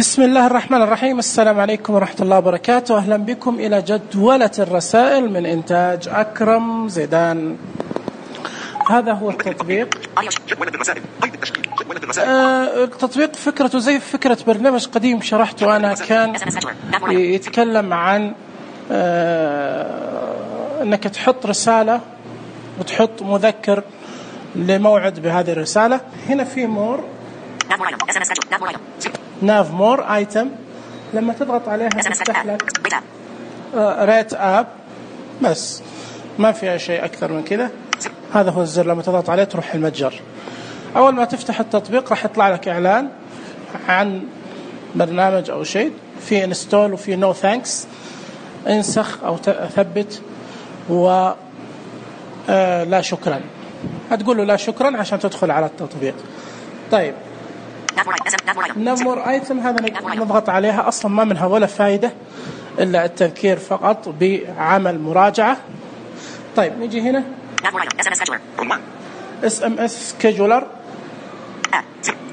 بسم الله الرحمن الرحيم. السلام عليكم ورحمة الله وبركاته. أهلا بكم إلى جدولة الرسائل من إنتاج أكرم زيدان. هذا هو التطبيق. التطبيق فكرته زي فكرة برنامج قديم شرحته أنا، كان يتكلم عن أنك تحط رسالة وتحط مذكر لموعد بهذه الرسالة. هنا في مور، ناف مور ايتم، لما تضغط عليها تفتح لك ريت اب، بس ما فيها شيء اكثر من كذا. هذا هو الزر، لما تضغط عليه تروح المتجر. اول ما تفتح التطبيق راح يطلع لك اعلان عن برنامج او شيء، في انستول وفي نو ثانكس، انسخ او ثبت، و لا شكرا. هتقول له لا شكرا عشان تدخل على التطبيق. طيب نمر ايتم، هذا نضغط عليها، اصلا ما منها ولا فائده الا التذكير فقط بعمل مراجعه. طيب نيجي هنا SMS سكيجولر،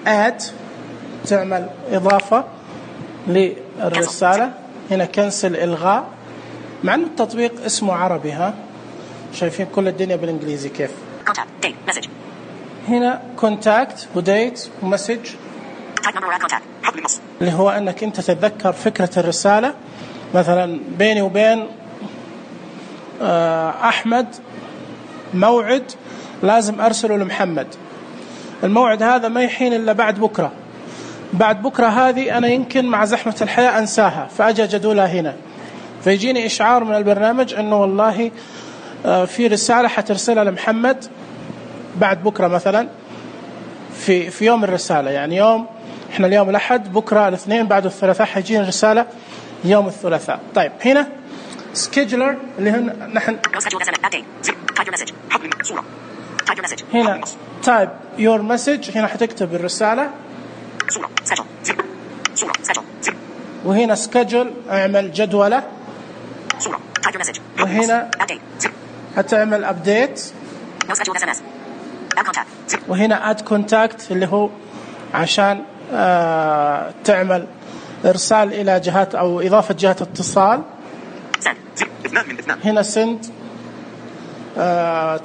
اد تعمل اضافه للرساله. هنا كنسل الغاء، مع ان التطبيق اسمه عربي، ها شايفين كل الدنيا بالانجليزي كيف. هنا كونتاكت وديت ومسج، اللي هو انك انت تتذكر فكرة الرسالة. مثلا بيني وبين احمد موعد لازم ارسله لمحمد، الموعد هذا ما يحين الا بعد بكرة. بعد بكرة هذه انا يمكن مع زحمة الحياة انساها، فاجي جدولها هنا، فيجيني اشعار من البرنامج انه والله في رسالة حترسلها لمحمد بعد بكرة، مثلا في يوم الرسالة، يعني يوم احنا اليوم الأحد، بكرة الاثنين، بعد الثلاثاء حيجينا رسالة يوم الثلاثاء. طيب هنا سكيجولر اللي هنا نحن هنا تايب يور مسج، هنا حتكتب الرسالة، وهنا سكيجول اعمل جدولة، وهنا هتعمل ابديت، وهنا اد كونتاكت اللي هو عشان تعمل ارسال الى جهات او اضافه جهات اتصال. هنا سند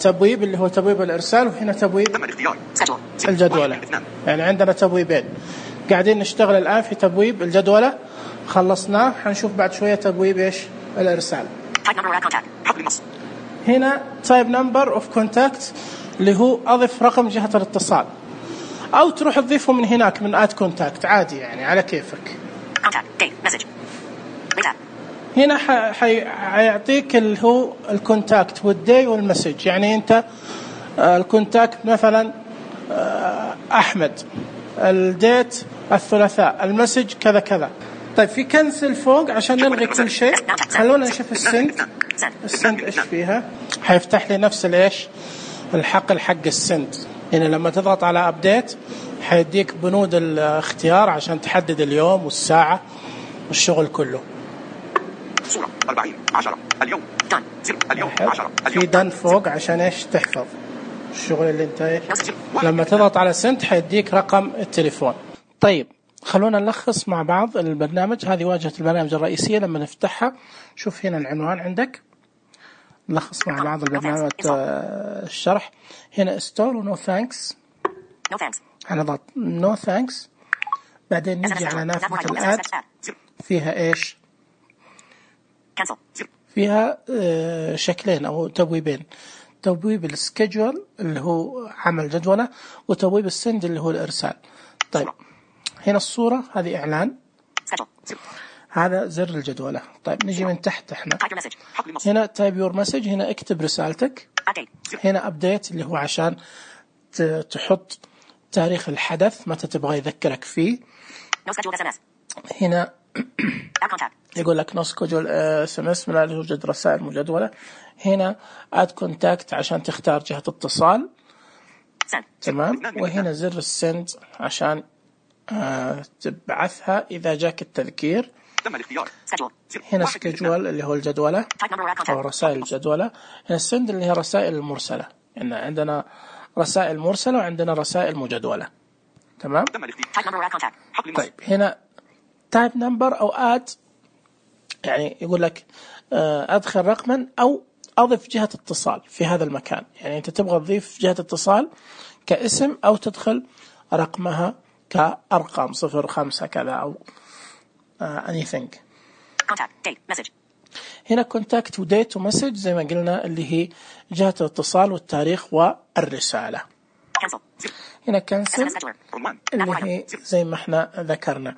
تبويب اللي هو تبويب الارسال، وهنا تبويب الجدولة. يعني عندنا تبويبين قاعدين نشتغل الان في تبويب الجدولة، خلصناه، حنشوف بعد شويه تبويب ايش الارسال. هنا تايب نمبر اوف كونتاكت اللي هو اضف رقم جهة الاتصال، او تروح تضيفه من هناك من اد كونتاكت عادي، يعني على كيفك. هنا حيعطيك اللي هو الكونتاكت والدي والمسج، يعني انت الكونتاكت مثلا احمد، الديت الثلاثاء، المسج كذا كذا. طيب في كنسل فوق عشان نلغي كل شيء. خلونا نشوف السند ايش فيها. حيفتح لي نفس الايش الحقل حق السند. هنا لما تضغط على ابديت حيديك بنود الاختيار عشان تحدد اليوم والساعة والشغل كله. 40/10 اليوم دن، اليوم 10 في دن فوق عشان ايش تحفظ الشغل اللي انت ايش. لما تضغط على سند حيديك رقم التليفون. طيب خلونا نلخص مع بعض البرنامج. هذه واجهة البرنامج الرئيسية. لما نفتحها شوف هنا العنوان عندك، نلخص مع بعض البرنامج الشرح. هنا استول ونو ثانكس، هنضغط نو ثانكس، بعدين نجي على نافذة الآد، فيها ايش، فيها شكلين او تبويبين، تبويب السكيجول اللي هو عمل جدولة، وتبويب السند اللي هو الارسال. طيب هنا الصورة هذه اعلان، هذا زر الجدولة. طيب نجي من تحت احنا هنا تايب يور مسج، هنا اكتب رسالتك. هنا ابديت اللي هو عشان تحط تاريخ الحدث متى تبغى يذكرك فيه. هنا يقول لك نو سكيجول SMS، لا يوجد رسائل مجدولة. هنا اد كونتاكت عشان تختار جهة اتصال، تمام. وهنا زر السند عشان تبعثها إذا جاك التذكير. هنا سكيجول اللي هو الجدولة أو رسائل الجدولة. هنا السند اللي هي رسائل المرسلة، يعني عندنا رسائل مرسلة وعندنا رسائل مجدولة، تمام. طيب هنا type number أو add، يعني يقول لك أدخل رقما أو أضف جهة اتصال في هذا المكان. يعني أنت تبغى تضيف جهة اتصال كاسم أو تدخل رقمها كأرقام 05 كذا أو anything. contact date message. هنا contact وديت ومسج زي ما قلنا اللي هي جهة الاتصال والتاريخ والرسالة. cancel. هنا cancel اللي هي زي ما احنا ذكرنا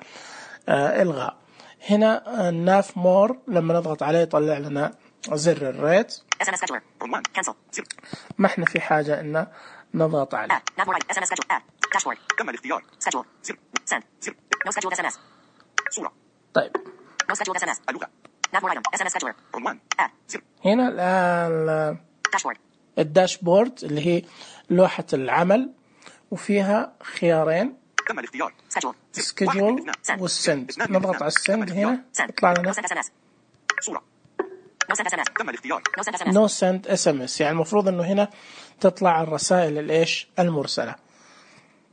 إلغاء. هنا ناف مور لما نضغط عليه يطلع لنا زر الريت. ما احنا في حاجة إن نضغط عليه. تم الاختيار. طيب هنا الداشبورد اللي هي لوحة العمل وفيها خيارين تم الاختيار. schedule والسند. نضغط على السند هنا يطلع لنا صورة. تم الاختيار. no send SMS، يعني المفروض انه هنا تطلع الرسائل الايش المرسلة.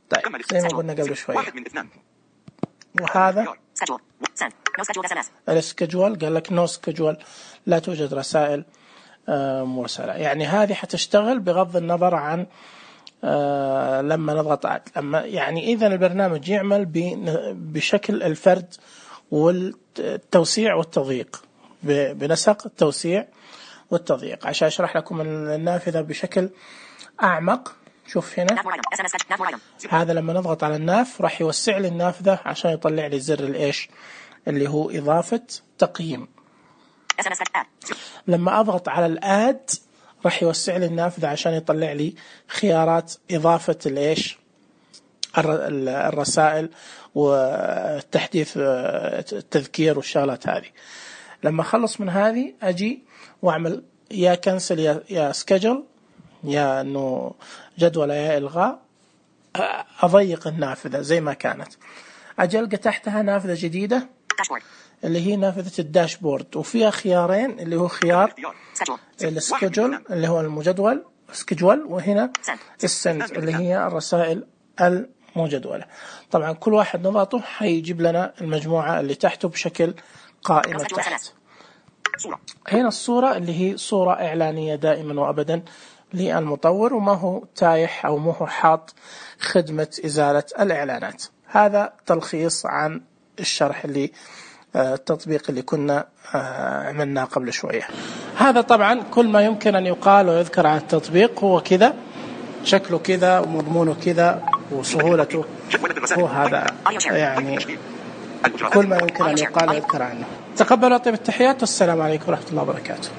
طيب زي ما قلنا قبل شوية. وهذا السكجول قال لك no schedule، لا توجد رسائل مرسلة. يعني هذه حتشتغل بغض النظر عن لما نضغط لما يعني إذا البرنامج يعمل بشكل الفرد والتوسيع والتضييق، بنسق التوسيع والتضييق. عشان أشرح لكم النافذة بشكل أعمق، شوف هنا هذا لما نضغط على الناف راح يوسع لي النافذة عشان يطلع لي زر الإيش اللي هو إضافة تقييم. لما أضغط على الآد راح يوسع لي النافذة عشان يطلع لي خيارات إضافة الإيش الرسائل والتحديث التذكير والشغلات هذه. لما أخلص من هذه أجي وأعمل يا كنسل يا سكجل، يا أنه جدول يا إلغاء، أضيق النافذة زي ما كانت. أجي ألقى تحتها نافذة جديدة اللي هي نافذة الداشبورد، وفيها خيارين اللي هو خيار السكجول اللي هو المجدول سكجول، وهنا السند اللي هي الرسائل المجدولة. طبعا كل واحد نضغطه حيجيب لنا المجموعة اللي تحته بشكل قائمة تحت. هنا الصورة اللي هي صورة إعلانية دائما وأبدا للمطور، وما هو تايح أو ما هو حاط خدمة إزالة الإعلانات. هذا تلخيص عن الشرح اللي التطبيق اللي كنا عملناه قبل شوية. هذا طبعا كل ما يمكن أن يقال ويذكر عن التطبيق. هو كذا شكله كذا ومضمونه كذا وسهولته، هو هذا يعني كل ما يمكن أن يقال ويذكر عنه. تقبلوا طيب التحيات، والسلام عليكم ورحمة الله وبركاته.